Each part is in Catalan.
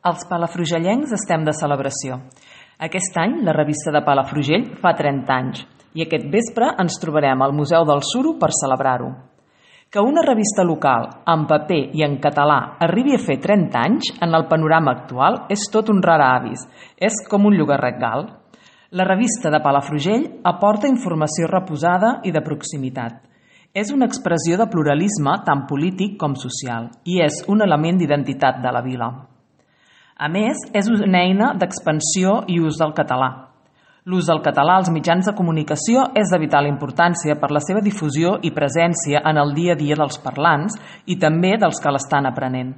Els palafrugellencs estem de celebració. Aquest any la revista de Palafrugell fa 30 anys i aquest vespre ens trobarem al Museu del Suro per celebrar-ho. Que una revista local, en paper i en català, arribi a fer 30 anys en el panorama actual és tot un rar avis, és com un llogarret gal. La revista de Palafrugell aporta informació reposada i de proximitat. És una expressió de pluralisme tant polític com social i és un element d'identitat de la vila. A més, és una eina d'expansió i ús del català. L'ús del català als mitjans de comunicació és de vital importància per la seva difusió i presència en el dia a dia dels parlants i també dels que l'estan aprenent,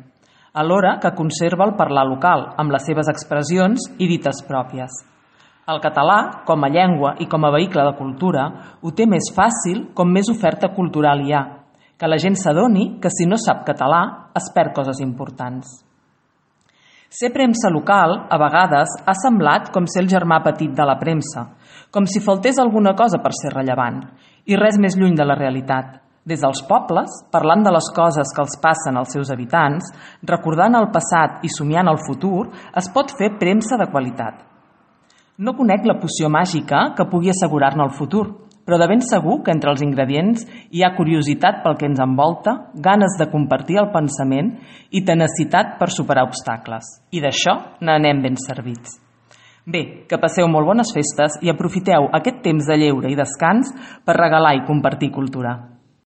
alhora que conserva el parlar local, amb les seves expressions i dites pròpies. El català, com a llengua i com a vehicle de cultura, ho té més fàcil com més oferta cultural hi ha, que la gent s'adoni que si no sap català es perd coses importants. Ser premsa local, a vegades, ha semblat com ser el germà petit de la premsa, com si faltés alguna cosa per ser rellevant, i res més lluny de la realitat. Des dels pobles, parlant de les coses que els passen als seus habitants, recordant el passat i somiant el futur, es pot fer premsa de qualitat. No conec la poció màgica que pugui assegurar-ne el futur, però de ben segur que entre els ingredients hi ha curiositat pel que ens envolta, ganes de compartir el pensament i tenacitat per superar obstacles. I d'això n'anem ben servits. Bé, que passeu molt bones festes i aprofiteu aquest temps de lleure i descans per regalar i compartir cultura.